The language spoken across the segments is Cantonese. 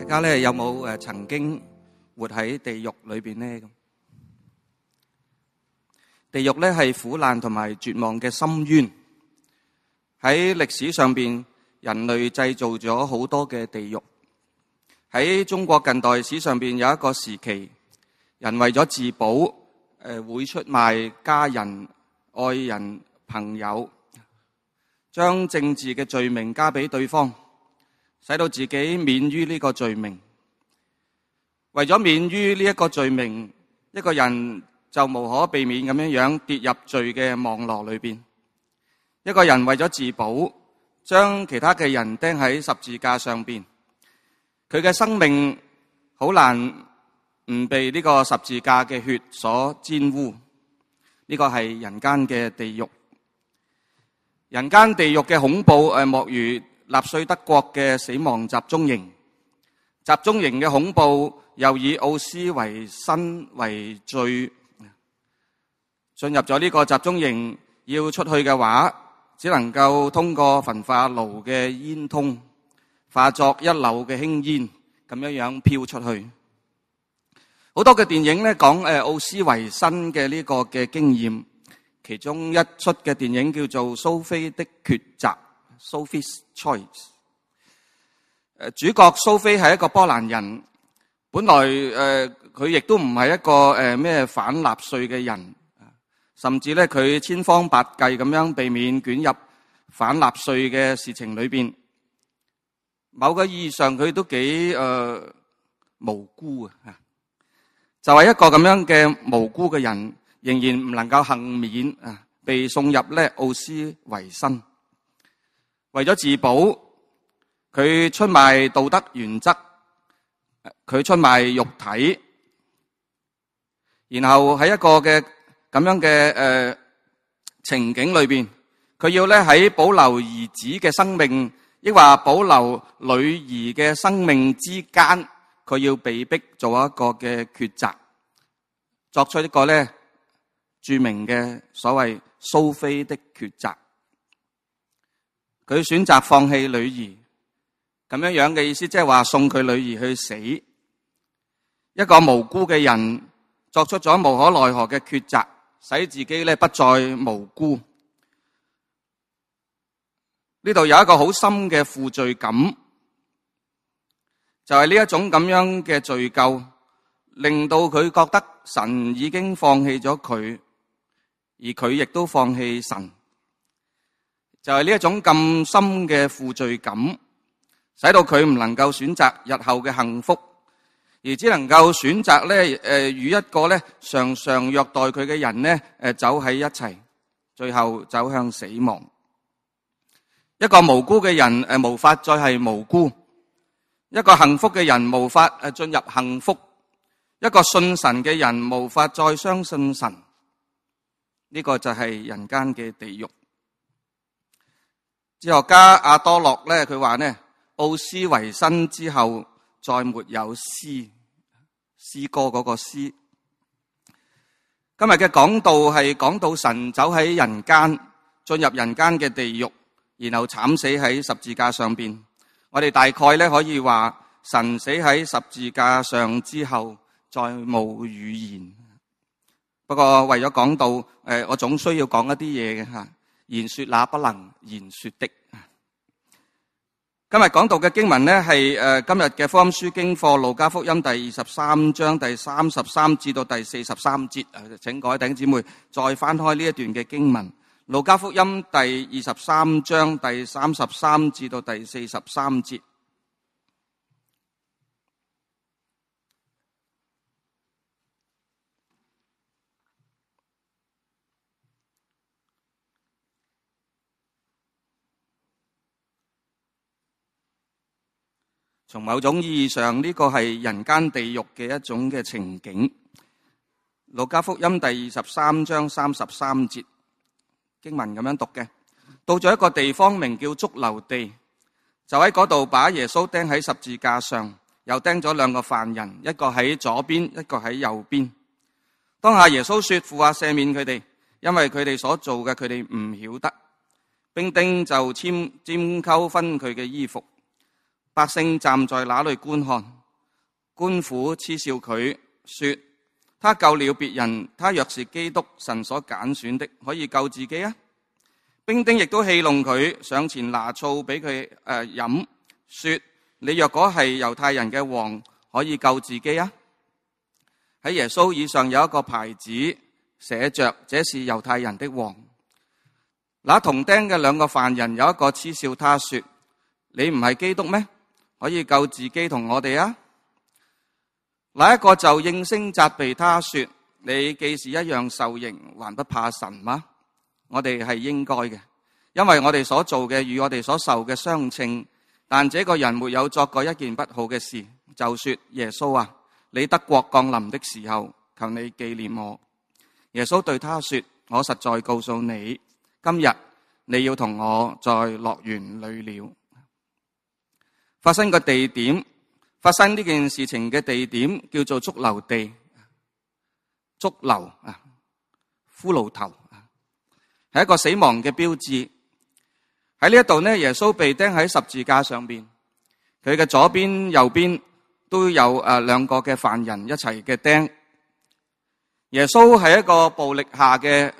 大家咧有冇曾經活喺地獄裏邊呢？地獄咧係苦難同埋絕望嘅深淵。喺歷史上邊，人類製造咗好多嘅地獄。喺中國近代史上邊有一個時期，人為咗自保，會出賣家人、愛人、朋友，將政治嘅罪名加俾對方，使到自己免於呢個罪名。為咗免於呢一個罪名，一個人就無可避免咁樣跌入罪嘅網絡裏邊。一個人為咗自保，將其他嘅人釘喺十字架上邊，佢嘅生命好難唔被呢個十字架嘅血所沾污。呢個係人間嘅地獄。人間地獄嘅恐怖莫如納粹德國嘅死亡集中營。集中營嘅恐怖又以奧斯維辛為最。進入咗呢個集中營，要出去嘅話，只能夠通過焚化爐嘅煙囪，化作一縷嘅輕煙，咁樣飄出去。好多嘅電影咧講奧斯維辛嘅呢個嘅經驗，其中一出嘅電影叫做《蘇菲的抉擇》（Sophie's Choice）。主角蘇菲係一個波蘭人，本來佢亦都唔係一個咩反納粹嘅人，甚至咧佢千方百計咁樣避免捲入反納粹嘅事情裏邊。某個意義上佢都幾無辜啊！就係一個咁樣嘅無辜嘅人，仍然唔能夠幸免啊，被送入咧奧斯維辛。為咗自保，佢出賣道德原則，佢出賣肉體，然後喺一個嘅咁樣嘅情景裏邊，佢要咧喺保留兒子嘅生命，抑或保留女兒嘅生命之間，佢要被逼做一個嘅抉擇，作出一個咧著名嘅所謂蘇菲的抉擇。佢選擇放棄女兒，咁樣嘅意思，即係話送佢女兒去死。一個無辜嘅人作出咗無可奈何嘅抉擇，使自己咧不再無辜。呢度有一個好深嘅負罪感，就係呢一種咁樣嘅罪疚，令到佢覺得神已經放棄咗佢，而佢亦都放棄神。就係呢一種咁深嘅負罪感，使到佢唔能夠選擇日後嘅幸福，而只能夠選擇咧與一個咧常常虐待佢嘅人咧走喺一齊，最後走向死亡。一個無辜嘅人無法再係無辜，一個幸福嘅人無法進入幸福，一個信神嘅人無法再相信神。呢個就係人間嘅地獄。哲學家阿多洛咧，佢話呢，奧斯維辛之後再沒有詩歌嗰個詩。今日嘅講道係講到神走喺人間，進入人間嘅地獄，然後慘死喺十字架上邊。我哋大概咧可以話，神死喺十字架上之後，再冇語言。不過為咗講道，我總需要講一啲嘢嘅吓。言說那不能言說的。今日講到嘅經文呢，係今日嘅福音書經課路加福音第23章第33至到第43節。請各位弟兄姊妹再翻開呢一段嘅經文，路加福音第23章第33至到第43節。從某種意義上，呢個係人間地獄嘅一種嘅情景。路加福音第23章33節經文咁樣讀嘅：到咗一個地方名叫髑髏地，就喺嗰度把耶穌釘喺十字架上，又釘咗兩個犯人，一個喺左邊，一個喺右邊。當下耶穌說：父啊，赦免佢哋，因為佢哋所做嘅佢哋唔曉得。兵丁就拈鬮分佢嘅衣服。百姓站在那裏觀看，官府嗤笑佢，說：他救了別人，他若是基督，神所揀選的，可以救自己啊！兵丁亦都戲弄佢，上前拿醋俾佢飲，說：你若果係猶太人嘅王，可以救自己啊！喺耶穌以上有一個牌子，寫着：這是猶太人的王。那同釘嘅兩個犯人有一個嗤笑他，說：你唔係基督咩？可以救自己同我哋啊！那一個就應聲責備他，說：你既是一樣受刑，還不怕神嗎？我哋係應該嘅，因為我哋所做嘅與我哋所受嘅相稱。但這個人沒有作過一件不好嘅事，就說：耶穌啊，你得國降臨的時候，求你紀念我。耶穌對他說：我實在告訴你，今日你要同我在樂園裏了。發生個地點，發生呢件事情嘅地點叫做髑髏地，髑髏啊，骷髏頭，係一個死亡嘅標誌。喺呢一度呢，耶穌被釘喺十字架上邊，佢嘅左邊、右邊都有兩個嘅犯人一齊嘅釘。耶穌係一個暴力下嘅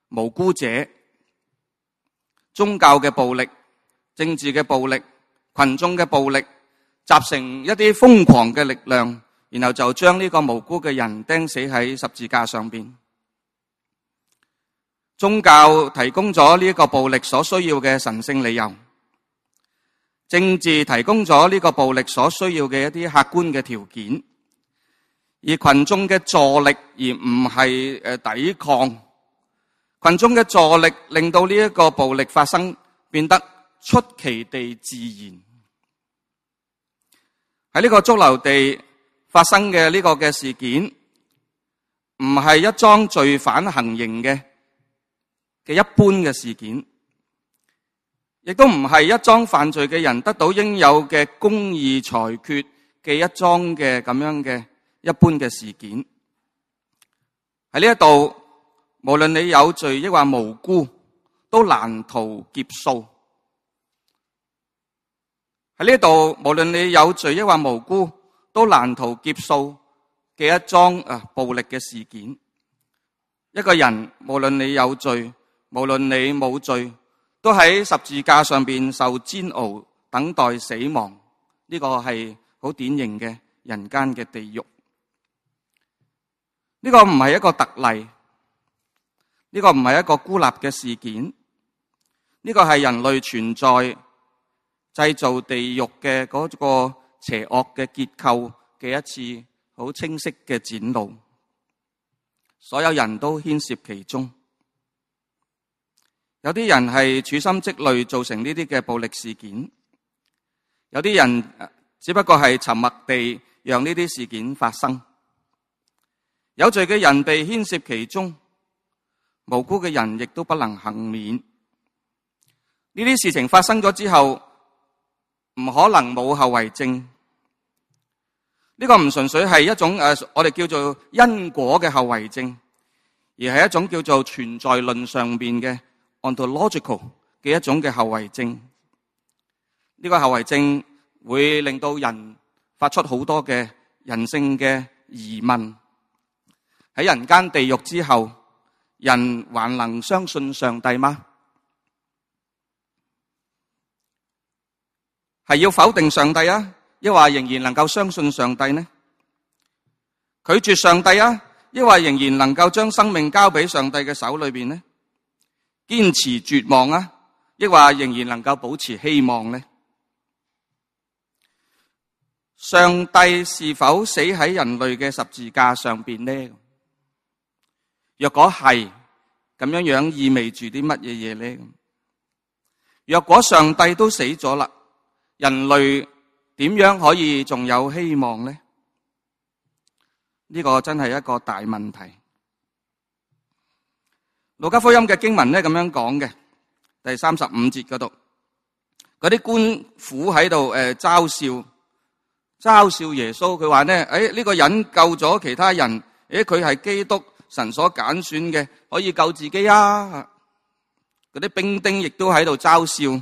無辜者，宗教嘅暴力、政治嘅暴力、群眾嘅暴力，集成一啲瘋狂嘅力量，然後就將呢個無辜嘅人釘死喺十字架上邊。宗教提供咗呢個暴力所需要嘅神聖理由，政治提供咗呢個暴力所需要嘅一啲客觀嘅條件，而群眾嘅助力而唔係抵抗。群眾嘅助力令到呢一個暴力發生變得出奇地自然。喺呢個髑髏地發生嘅呢個嘅事件，唔係一樁罪犯行刑嘅一般嘅事件，亦都唔係一樁犯罪嘅人得到應有嘅公義裁決嘅一樁嘅咁樣嘅一般嘅事件。喺呢一度，無論你有罪抑或無辜，都難逃劫數。喺呢度，無論你有罪抑或無辜，都難逃劫數嘅一樁暴力嘅事件。一個人，無論你有罪，無論你冇罪，都喺十字架上邊受煎熬，等待死亡。呢個係好典型嘅人間嘅地獄。呢個唔係一個特例，呢個唔係一個孤立嘅事件，呢個係人類存在製造地獄嘅嗰個邪惡嘅結構嘅一次好清晰嘅展露。所有人都牽涉其中。有啲人係處心積慮造成呢啲嘅暴力事件，有啲人只不過係沉默地讓呢啲事件發生。有罪嘅人被牽涉其中，無辜嘅人亦都不能幸免。呢啲事情發生咗之後，唔可能冇後遺症。呢個唔純粹係一種我哋叫做因果嘅後遺症，而係一種叫做存在論上邊嘅ontological 嘅一種嘅後遺症。呢個後遺症會令到人發出好多嘅人性嘅疑問。喺人間地獄之後，人還能相信上帝嗎？係要否定上帝啊，抑或仍然能夠相信上帝呢？拒絕上帝啊，抑或仍然能夠將生命交俾上帝嘅手裏邊呢？堅持絕望啊，抑或仍然能夠保持希望呢？上帝是否死喺人類嘅十字架上邊呢？若果係咁樣，意味住啲乜嘢嘢呢？若果上帝都死咗啦，人類點樣可以仲有希望呢？呢個真係一個大問題。路加福音嘅經文呢咁樣講嘅，第35節嗰度，嗰啲官府喺度嘲笑耶穌，佢話呢，呢個人救咗其他人，佢係基督，神所揀選嘅，可以救自己啊！嗰啲兵丁亦都喺度嘲笑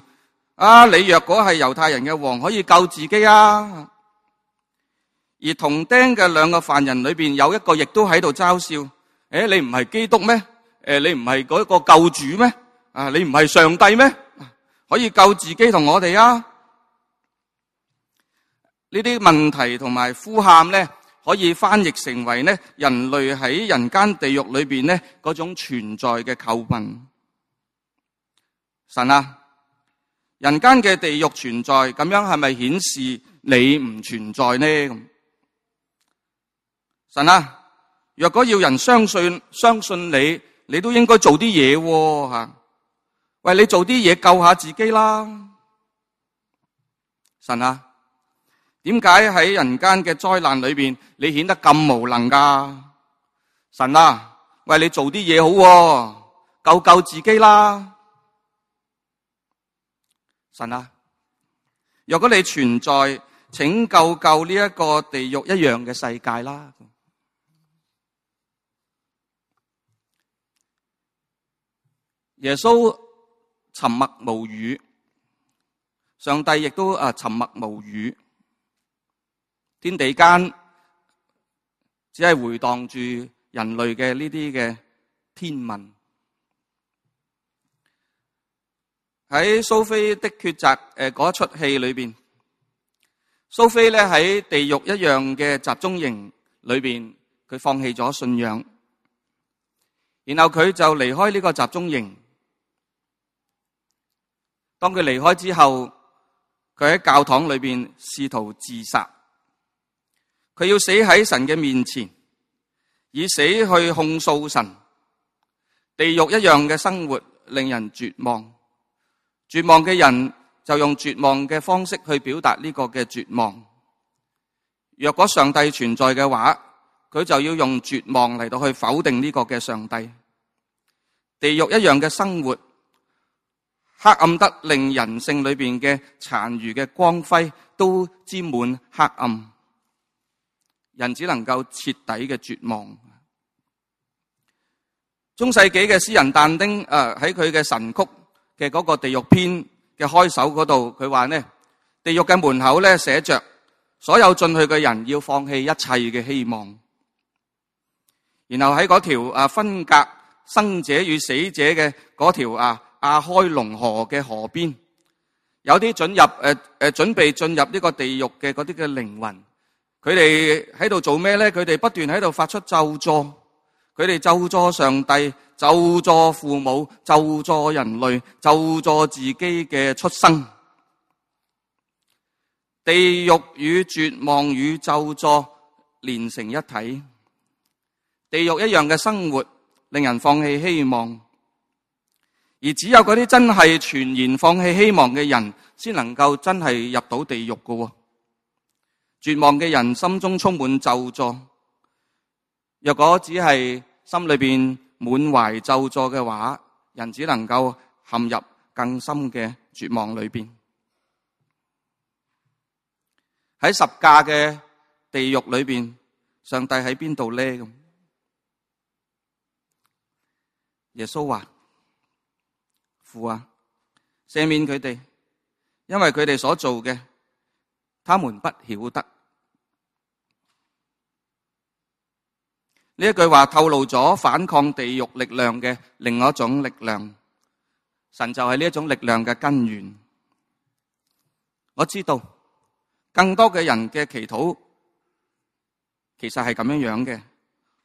你若果係猶太人嘅王，可以救自己啊！而同釘嘅兩個犯人裏邊，有一個亦都喺度嘲笑：你唔係基督咩？你唔係嗰個救主咩？你唔係上帝咩？可以救自己同我哋啊！呢啲問題同埋呼喊咧，可以翻譯成為咧人類喺人間地獄裏邊咧嗰種存在嘅叩問。神啊，人間嘅地獄存在，咁樣係咪顯示你唔存在呢？神啊，若果要人相信你，你都應該做啲嘢吓。喂，你做啲嘢救下自己啦。神啊，點解喺人間嘅災難裏邊，你顯得咁無能噶？神啊，喂，你做啲嘢好，救自己啦。神啊，若果你存在，請救呢一個地獄一樣嘅世界啦。耶穌沉默無語，上帝亦都沉默無語，天地間只係回蕩住人類嘅呢啲嘅天問。喺蘇菲的抉擇嗰出戲裏邊，蘇菲咧喺地獄一樣嘅集中營裏邊，佢放棄咗信仰，然後佢就離開呢個集中營。當佢離開之後，佢喺教堂裏邊試圖自殺，佢要死喺神嘅面前，以死去控訴神。地獄一樣嘅生活令人絕望，絕望嘅人就用絕望嘅方式去表達呢個嘅絕望。若果上帝存在嘅話，佢就要用絕望嚟到去否定呢個嘅上帝。地獄一樣嘅生活，黑暗得令人性裏邊嘅殘餘嘅光輝都沾滿黑暗，人只能夠徹底嘅絕望。中世紀嘅詩人但丁喺佢嘅神曲嘅嗰個地獄篇嘅開首嗰度，佢話呢，地獄嘅門口咧寫着所有進去嘅人要放棄一切嘅希望。然後喺嗰條分隔生者與死者嘅嗰條亞開龍河嘅河邊，有啲準備進入呢個地獄嘅嗰啲嘅靈魂，佢哋喺度做咩咧？佢哋不斷喺度發出咒詛，佢哋咒詛上帝，咒詛父母，咒詛人類，咒詛自己嘅出生。地獄與絕望與咒詛連成一體，地獄一樣嘅生活令人放棄希望。而只有嗰啲真係全然放棄希望嘅人，先能夠真係入到地獄㗎。絕望嘅人心中充滿咒詛，若果只係心裏邊滿懷咒詛嘅話，人只能夠陷入更深嘅絕望裏邊。喺十架嘅地獄裏邊，上帝喺邊度呢？咁耶穌話：父啊，赦免佢哋，因為佢哋所做嘅，他們不曉得。呢一句話透露咗反抗地獄力量嘅另外一種力量，神就係呢一種力量嘅根源。我知道更多嘅人嘅祈禱其實係咁樣嘅，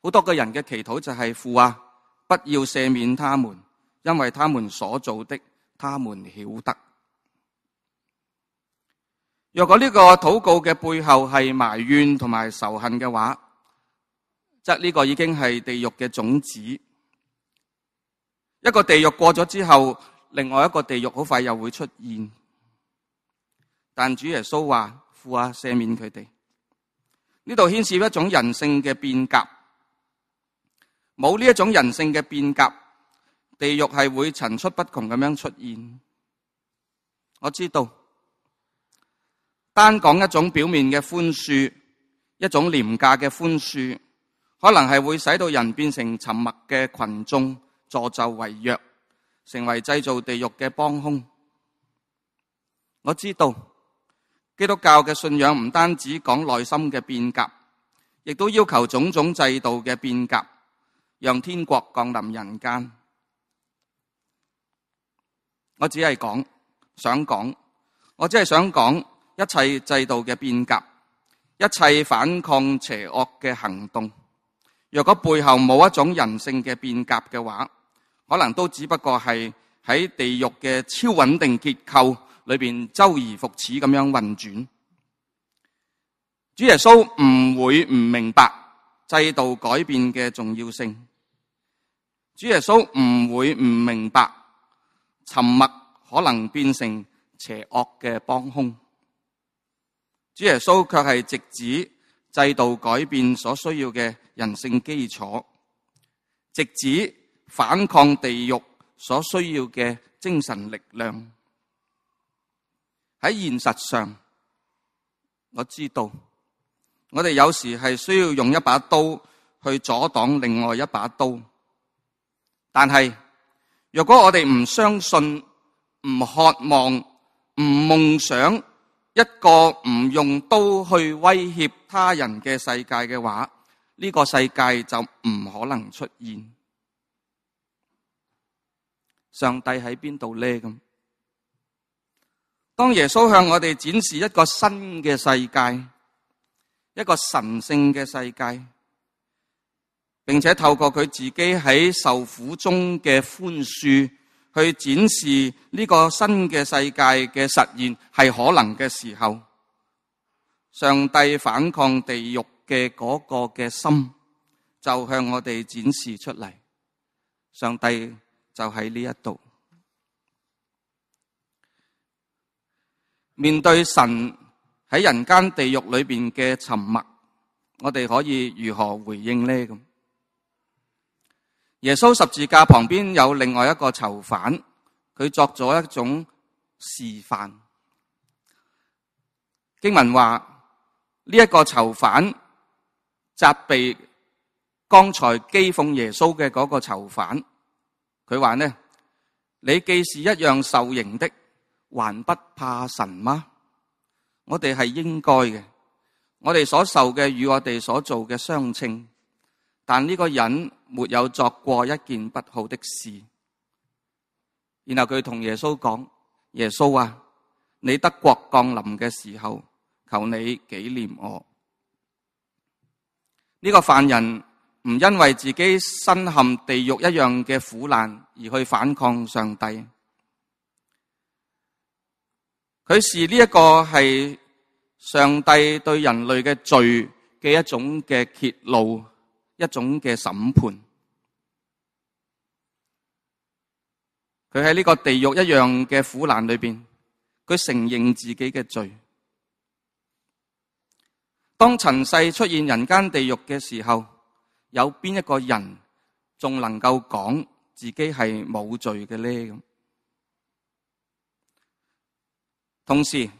好多嘅人嘅祈禱就係：父啊，不要赦免他們，因為他們所做的，他們曉得。若果呢個禱告嘅背後係埋怨同埋仇恨嘅話，則呢個已經係地獄嘅種子。一個地獄過咗之後，另外一個地獄好快又會出現。但主耶穌話：父啊，赦免佢哋。呢度牽涉一種人性嘅變革，冇呢一種人性嘅變革，地獄係會層出不窮咁樣出現。我知道，單講一種表面嘅寬恕，一種廉價嘅寬恕，可能係會使到人變成沉默嘅群眾，助紂為虐，成為製造地獄嘅幫兇。我知道基督教嘅信仰唔單止講內心嘅變革，亦都要求種種制度嘅變革，讓天國降臨人間。我只係想講一切制度嘅變革，一切反抗邪惡嘅行動，若果背後冇一種人性嘅變革嘅話，可能都只不過係喺地獄嘅超穩定結構裏邊周而復始咁樣運轉。主耶穌唔會唔明白制度改變嘅重要性，主耶穌唔會唔明白沉默可能變成邪惡嘅幫兇。主耶穌卻係直指制度改變所需要嘅人性基礎，直指反抗地獄所需要嘅精神力量。喺現實上，我知道我哋有時係需要用一把刀去阻擋另外一把刀，但係若果我哋唔相信、唔渴望、唔夢想一個唔用刀去威脅他人嘅世界嘅話，呢個世界就唔可能出現。上帝喺邊度呢？咁當耶穌向我哋展示一個新嘅世界，一個神聖嘅世界，並且透過佢自己喺受苦中嘅寬恕去展示呢個新嘅世界嘅實現係可能嘅時候，上帝反抗地獄嘅嗰個嘅心就向我哋展示出嚟。上帝就喺呢一度。面對神喺人間地獄裏邊嘅沉默，我哋可以如何回應呢？咁耶穌十字架旁邊有另外一個囚犯，佢作咗一種示範。經文話呢一個囚犯責備剛才譏諷耶穌嘅嗰個囚犯，佢話呢：你既是一樣受刑的，還不怕神嗎？我哋係應該嘅，我哋所受嘅與我哋所做嘅相稱，但呢個人沒有作過一件不好的事。然後佢同耶穌講：耶穌啊，你得國降臨嘅時候，求你紀念我。呢個犯人唔因為自己身陷地獄一樣嘅苦難而去反抗上帝，佢視呢一個係上帝對人類嘅罪嘅一種嘅揭露，一種嘅審判。佢喺呢個地獄一樣嘅苦難裏邊，佢承認自己嘅罪。當塵世出現人間地獄嘅時候，有邊一個人仲能夠講自己係冇罪嘅呢？同時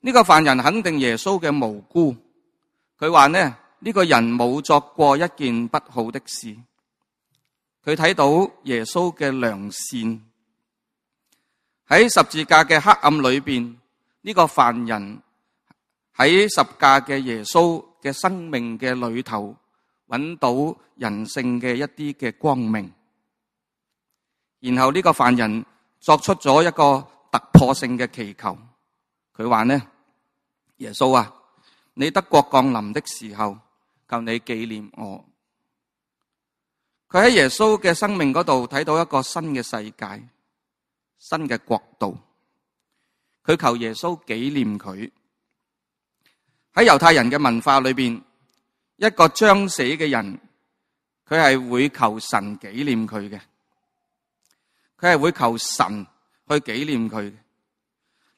呢個犯人肯定耶穌嘅無辜，佢話呢個人冇作過一件不好的事。佢睇到耶穌嘅良善，喺十字架嘅黑暗裏邊，呢個犯人喺十架嘅耶穌嘅生命嘅裏頭揾到人性嘅一啲嘅光明。然後呢個犯人作出咗一個突破性嘅祈求，佢話耶穌啊，你得國降臨的時候，求你紀念我。佢喺耶穌嘅生命嗰度睇到一個新嘅世界，新嘅國度。佢求耶穌紀念佢。喺猶太人嘅文化裏邊，一個將死嘅人，佢係會求神紀念佢嘅，佢係會求神去紀念佢嘅。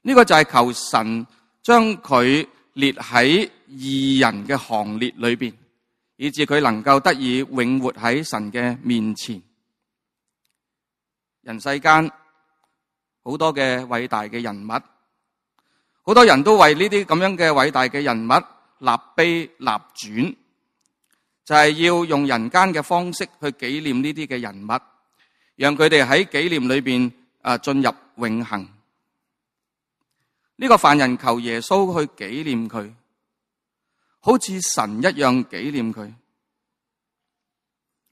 呢個就係求神將佢列喺義人嘅行列裏邊，以致佢能夠得以永活喺神嘅面前。人世間好多嘅偉大嘅人物，好多人都為呢啲咁樣嘅偉大嘅人物立碑立傳，就係要用人間嘅方式去紀念呢啲嘅人物，讓佢哋喺紀念裏邊進入永恆。呢個犯人求耶穌去紀念佢，好似神一樣紀念佢。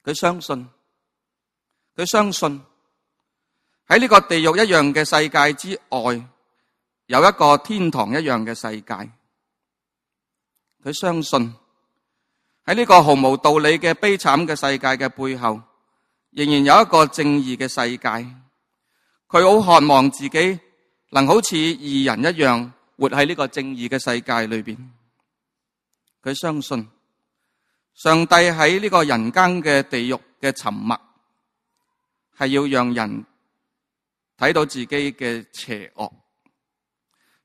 佢相信喺呢個地獄一樣嘅世界之外，有一個天堂一樣嘅世界。佢相信喺呢個毫無道理嘅悲慘嘅世界嘅背後，仍然有一個正義嘅世界。佢好渴望自己能好似義人一樣活喺呢個正義嘅世界裏邊。佢相信上帝喺呢個人間嘅地獄嘅沉默，係要讓人睇到自己嘅邪惡，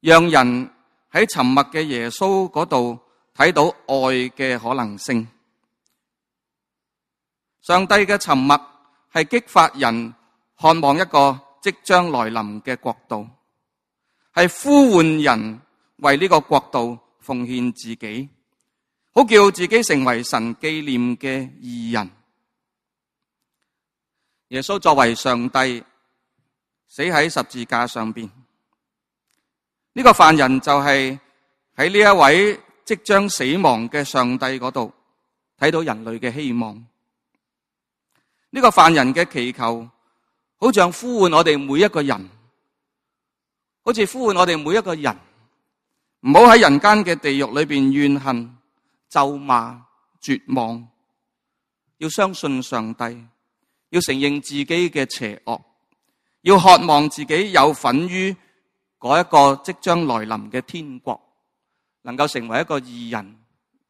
讓人喺沉默嘅耶穌嗰度睇到愛嘅可能性。上帝嘅沉默係激發人渴望一個即將來臨嘅國度，係呼喚人為呢個國度奉獻自己，好叫自己成為神紀念嘅義人。耶穌作為上帝死喺十字架上邊，呢個犯人就係喺呢一位即將死亡嘅上帝嗰度睇到人類嘅希望。呢個犯人嘅祈求好像呼喚我哋每一個人，好似呼喚我哋每一個人，唔好喺人間嘅地獄裏邊怨恨、咒罵、絕望，要相信上帝，要承認自己嘅邪惡，要渴望自己有份於嗰一個即將來臨嘅天國，能夠成為一個義人，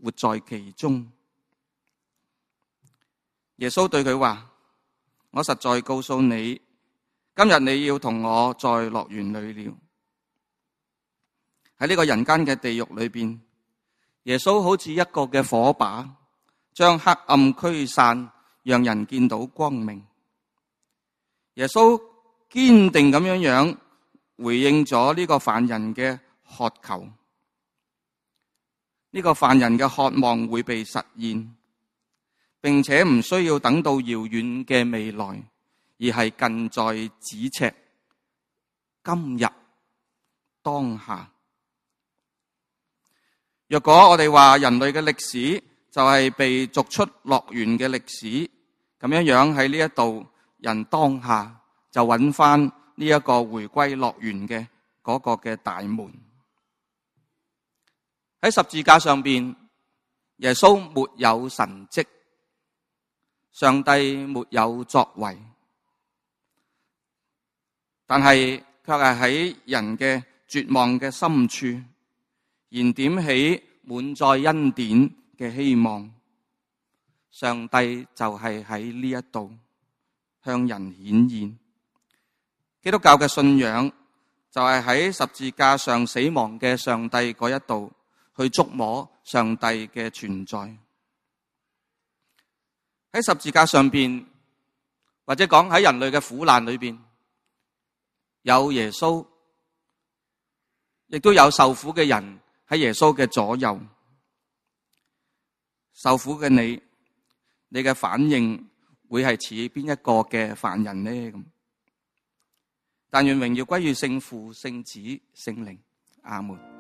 活在其中。耶穌對佢話：我實在告訴你，今日你要同我在樂園裏了。喺呢個人間嘅地獄裏邊，耶穌好似一個嘅火把，將黑暗驅散，讓人見到光明。耶穌堅定咁樣回應咗呢個犯人嘅渴求，呢個犯人嘅渴望會被實現，並且唔需要等到遙遠嘅未來，而係近在咫尺，今日當下。若果我哋話人類嘅歷史就係被逐出樂園嘅歷史，咁樣喺呢一度，人當下就揾翻呢一個回歸樂園嘅嗰個嘅大門。喺十字架上邊，耶穌沒有神蹟，上帝沒有作為，但係卻係喺人嘅絕望嘅深處，燃點起滿載恩典嘅希望。上帝就係喺呢一度向人顯現。基督教嘅信仰就係喺十字架上死亡嘅上帝嗰一度去觸摸上帝嘅存在。喺十字架上邊，或者講喺人類嘅苦難裏邊，有耶穌，亦都有受苦嘅人喺耶穌嘅左右。受苦嘅你嘅反應會係似邊一個嘅犯人呢？咁，但願榮耀歸於聖父、聖子、聖靈。阿門。